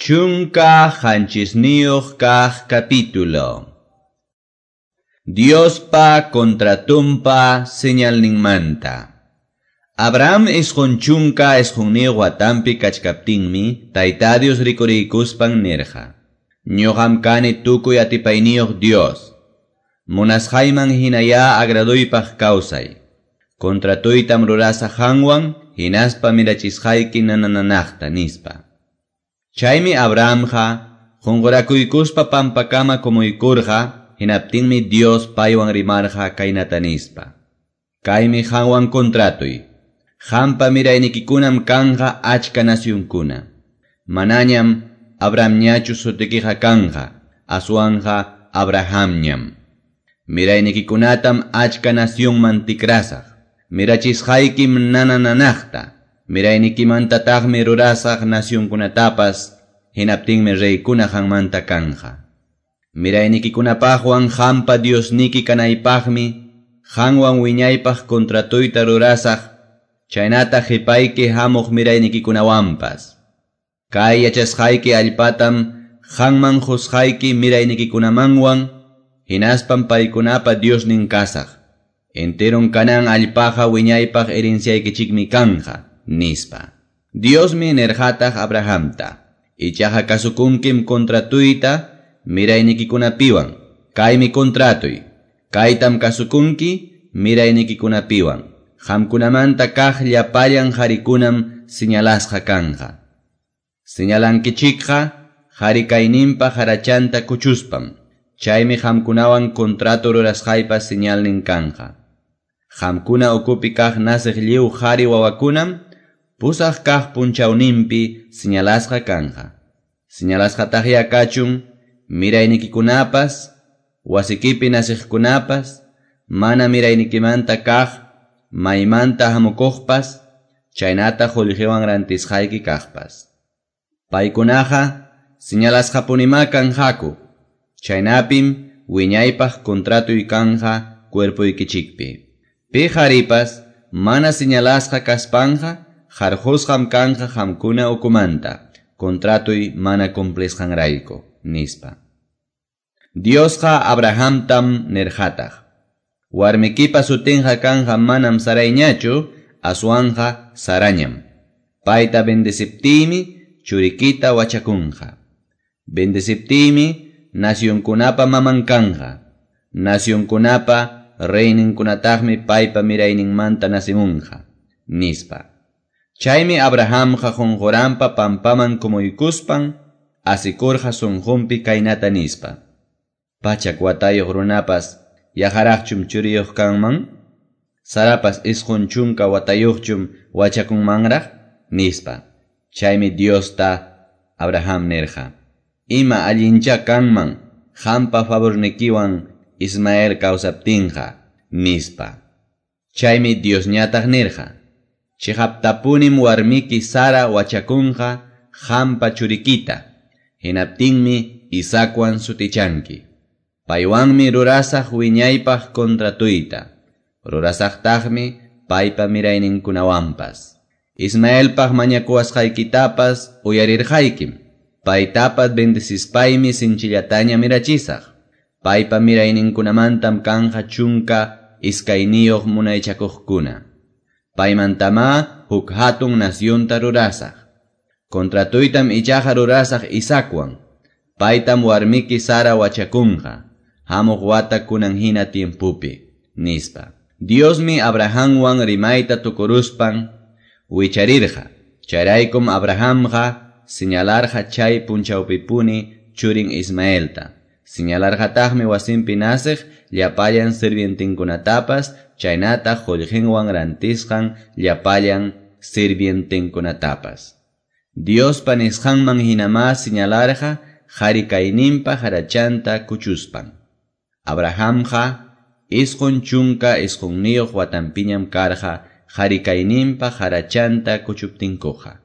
17 kaq capítulo. Diospa contratumpa señalninmanta. Abraham 99 watampi kachkaptinmi, Tayta Dios rikuriykuspan nirqa: Ñuqam kani tukuy atipayniyuq Dios. Munasqayman hinaya agraduypaq kawsay. Contratuytam rurasaq qanwan, hinaspa mirachisqayki nanananaqta nispa. Chaymi Abrahamqa qunqurakuykuspa pampakama kumuykurqa, hinaptinmi Dios paywan rimarqa kaynata nispa: Kaymi qanwan contratuy. Qampa miraynikikunam kanqa achka nacionkuna. Manañam Abrahamñachu sutikiqa kanqa, aswanqa Abrahamñam. Miraynikikunatam achka nacionman tikrasaq. Mirachisqaykim nanananaqta. Miraynikimantataqmi rurasaq nacionkunatapas, hinaptinmi reykuna qanmanta kanja. Miraynikikunapaqwan qampa Diosniki kanaypaqmi, qanwan wiñaypaq contratuyta rurasaq, chaynata qhipayki hamuq miraynikikunawanpas. Kay yachasqayki allpatam qanman qusqayki miraynikikunamanwan, hinaspam paykunapa Diosnin kasaq. Enteron Canaán allpaqa wiñaypaq herenciaykichikmi kanja, nispa. Diosmi nirqataq Abrahamta: Ichaqa kasukunkim contratuyta miraynikikunapiwan. Kaymi contratuy. Kaytam kasukunki miraynikikunapiwan. Qamkunamanta kaq llapallan qharikunam señalasqa kanja. Señalankichikqa qhari kayninpa harachanta kuchuspam. Chaymi qamkunawan contrato rurasqaypa señalnin kanja. Qamkuna ukupi kaq nasiq lliw qhari wawakunam pusaq kaq punchawninpi señalasqa kanja. Señalasqataqya kachun miraynikikunapas, wasikipi nasiqkunapas, mana miraynikimanta kaq maymanta hamukuqpas, chaynata qullqiwan rantisqayki kaqpas. Paykunaqa señalasqapunimá kanqaku, chaynapim wiñaypaq contratuy kanja cuerpuykichikpi. Pi qharipas mana señalasqa kaspanqa qarqusqam kanja qamkuna ukumanta, contratuy mana cumplisqanrayku, nispa. Diosqa Abrahamtam nirqataq: Warmikipa sutinqa kanja manam Sarayñachu, aswanja Sarañam. Payta bendeciptiymi churikita wachakunqa. Bendeciptiymi nacionkunapa maman kanja. Nacionkunapa reyninkunataqmi paypa mirayninmanta nasimunqa, nispa. Chaymi Abrahamqa qunquranpa pampaman kumuykuspan asikurqa sunqunpi kaynata nispa: 100 watayuq runapas yaqaraqchum churiyuq kanman? Sarapas 90 watayuqchum wachakunmanraq? Nispa. Chaymi Diosta Abraham nirqa: Ima allincha kanman qampa favornikiwan Ismael kawsaptinqa, nispa. Chaymi Diosñataq nirqa: Chiqaptapunim warmiki Sara wachakunqa qampa churikita, hinaptinmi Isaacwan sutichanki. Paywanmi rurasaq wiñaypaq contratuyta, rurasaqtaqmi paypa mirayninkunawanpas. Ismaelpaq mañakuwasqaykitapas uyarirqaykim, paytapas bendecispaymi sinchillataña mirachisaq. Paypa mirayninkunamantam kanja 12 munaychakuqkuna. Paymantamá huk hatun nacionta rurasaq. Contratuytam ichaqa rurasaq Isaacwan. Paytam warmiki Sara wachakunqa, hamuq wata kunan hina tiempupi, nispa. Diosmi Abrahamwan rimayta tukuruspan wicharirqa. Chayraykum Abrahamqa señalarqa chay punchawpipuni churin Ismaelta. Señalarqataqmi wasinpi nasiq llapallan sirvientinkunatapas, chaynata qullqinwan rantisqan llapallan sirvientinkunatapas. Diospa nisqanman hinamá señalarqa qhari kayninpa harachanta kuchuspan. Abrahamqa 99 watanpiñam karqa qhari kayninpa harachanta kuchuptinkuqa.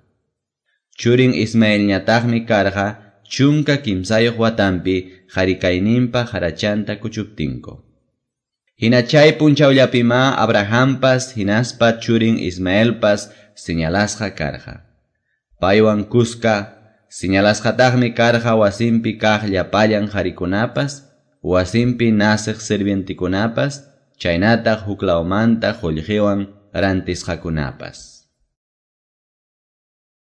Churin Ismaelñataqmi karqa 13 watanpi qhari kayninpa harachanta kuchuptinku. Hina chay punchawllapimá Abrahampas hinaspa churin Ismaelpas señalasqa karqa. Paywan kuska Señalasqataqmi karqa wasinpi kaq llapallan qarikunapas, wasinpi naceq sirvientekunapas, chaynataq huklawmanta qullqiwan rantisqakunapas.